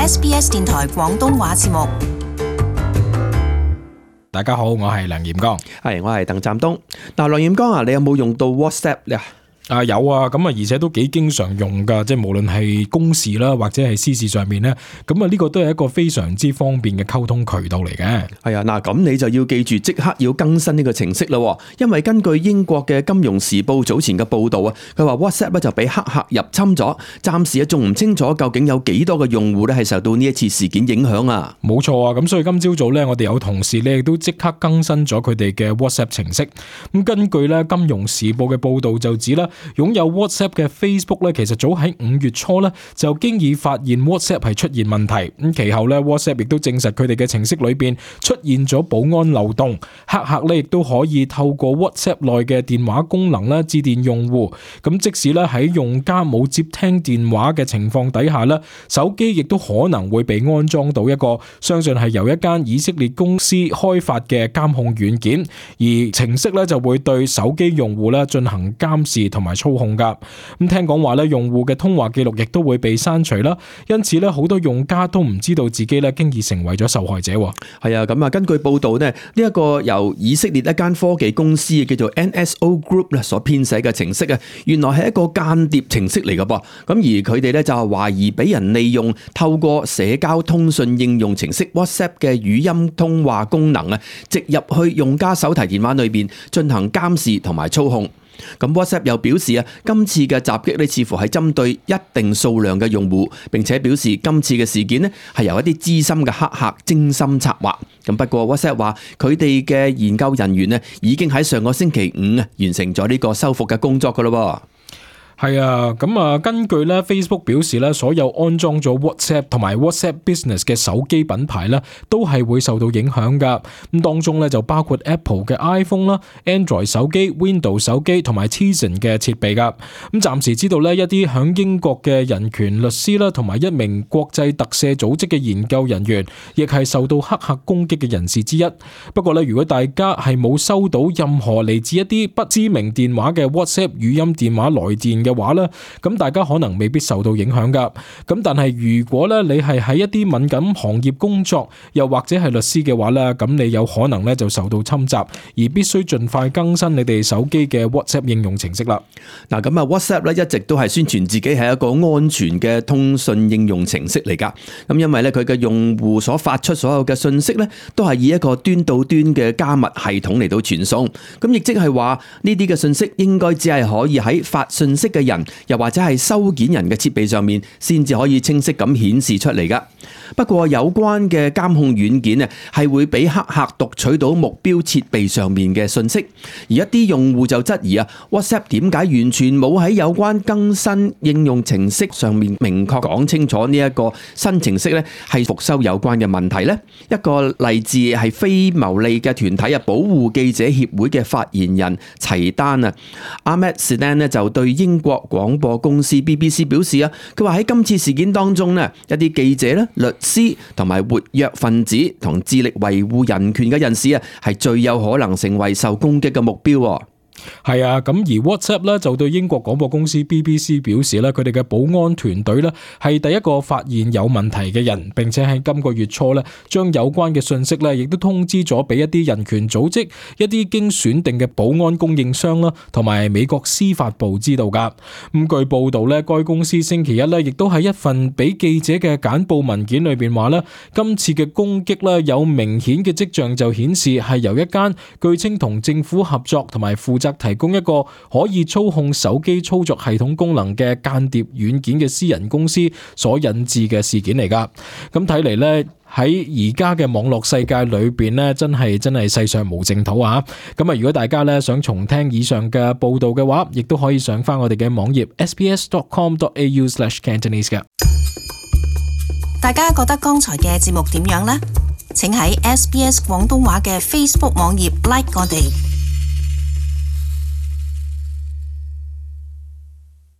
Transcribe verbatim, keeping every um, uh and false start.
S B S 電台廣東話節目。大家好，我係梁彥剛。係，我係鄧湛東。嗱，梁彥剛啊，你有冇用到 WhatsApp 咧？啊有啊，咁啊而且都幾經常用噶，即係無論係公事啦，或者係私事上面咧，咁啊呢個都係一個非常之方便嘅溝通渠道嚟嘅。係啊，嗱，咁你就要記住即刻要更新呢個程式啦，因為根據英國嘅《金融時報》早前嘅報道啊，佢話 WhatsApp 咧就俾黑客入侵咗，暫時啊仲唔清楚究竟有幾多個用戶咧係受到呢一次事件影響啊。冇錯啊，咁所以今朝早咧，我哋有同事咧亦都即刻更新咗佢哋嘅 WhatsApp 程式。咁根據咧《金融時報》嘅報道就指啦，擁有 WhatsApp 嘅 Facebook 咧，其實早喺五月初咧就經已發現 WhatsApp 係出現問題。咁其後咧 WhatsApp 亦都證實佢哋嘅程式裏邊出現咗保安漏洞，黑客咧亦都可以透過 WhatsApp 內嘅電話功能咧致電用戶。咁即使咧喺用家冇接聽電話嘅情況底下咧，手機亦都可能會被安裝到一個相信係由一間以色列公司開發嘅監控軟件，而程式咧就會對手機用戶咧進行監視同埋操控。咁聽講話咧，用戶嘅通話記錄亦都會被刪除啦，因此咧好多用家都唔知道自己咧經已成為咗受害者。係啊，咁啊，根據報道呢，呢一個由以色列一間科技公司叫做 N S O Group 咧所編寫嘅程式啊，原來係一個間諜程式嚟噶噃。咁而佢哋咧就係懷疑俾人利用透過社交通訊應用程式 WhatsApp 嘅語音通話功能啊，植入去用家手提電話裏邊進行監視同埋操控。咁 WhatsApp 又表示啊，今次嘅襲擊咧似乎係針對一定數量嘅用戶，並且表示今次嘅事件咧係由一啲資深嘅黑客精心策劃。咁不過 WhatsApp 話佢哋嘅研究人員咧已經喺上個星期五啊完成咗呢個修復嘅工作噶咯。係啊，咁啊，根據咧 Facebook 表示咧，所有安裝咗 WhatsApp 同埋 WhatsApp Business 嘅手機品牌咧，都係會受到影響噶。咁當中咧就包括 Apple 嘅 iPhone 啦、Android 手機、Windows 手機同埋 Tizen 嘅設備噶。咁暫時知道咧，一啲響英國嘅人權律師啦，同埋一名國際特赦組織嘅研究人員，亦係受到黑客攻擊嘅人士之一。不過咧，如果大家係冇收到任何嚟自一啲不知名電話嘅 WhatsApp 語音電話來電嘅話咧，咁大家可能未必受到影響噶。咁但係如果咧你係喺一啲敏感行業工作，又或者係律師嘅話咧，咁你有可能咧就受到侵襲，而必須盡快更新你哋手機嘅 WhatsApp 應用程式啦。嗱，咁啊 WhatsApp 咧一直都係宣傳自己係一個安全嘅通訊應用程式嚟噶。咁因為咧佢嘅用戶所發出所有嘅信息咧，都係以一個端到端嘅加密系統嚟到傳送。咁亦即係話呢啲嘅信息應該只係可以喺發信息嘅人，又或者係收件人嘅設備上面先至可以清晰咁顯示出嚟噶。不過有關嘅監控軟件啊，係會俾黑客讀取到目標設備上面嘅信息。而一啲用戶就質疑啊 ，WhatsApp 點解完全冇喺有關更新應用程式上面明確講清楚呢一個新程式咧係復修有關嘅問題呢？一個例子係非牟利嘅團體啊，保護記者協會嘅發言人齊丹啊 Ahmed Sedan 咧就對英國廣播公司 B B C 表示啊，佢話喺今次事件當中呢，一啲記者咧、律師同埋活躍分子同致力維護人權嘅人士啊，係最有可能成為受攻擊嘅目標。係啊，咁而 WhatsApp 咧就對英國廣播公司 B B C 表示咧，佢哋嘅保安團隊咧係第一個發現有問題嘅人，並且喺今個月初咧將有關嘅信息咧亦都通知咗俾一啲人權組織、一啲經選定嘅保安供應商啦，同埋美國司法部知道噶。咁據報道咧，該公司星期一咧亦都喺一份俾記者嘅簡報文件裏邊話咧，今次嘅攻擊咧有明顯嘅跡象就顯示係由一間據稱同政府合作同埋負責提供一個可以操控手機操作系統功能嘅間諜軟件嘅私人公司所引致嘅事件嚟噶。咁睇嚟呢，喺而家嘅網絡世界裏邊呢，真係真係世上無淨土啊！咁啊，如果大家呢想重聽以上嘅報道嘅話，亦都可以上翻我哋嘅網頁 s b s dot com dot a u slash cantonese 嘅。大家覺得剛才嘅節目點樣呢？請喺 S B S 廣東話嘅 Facebook 網頁 like 我哋。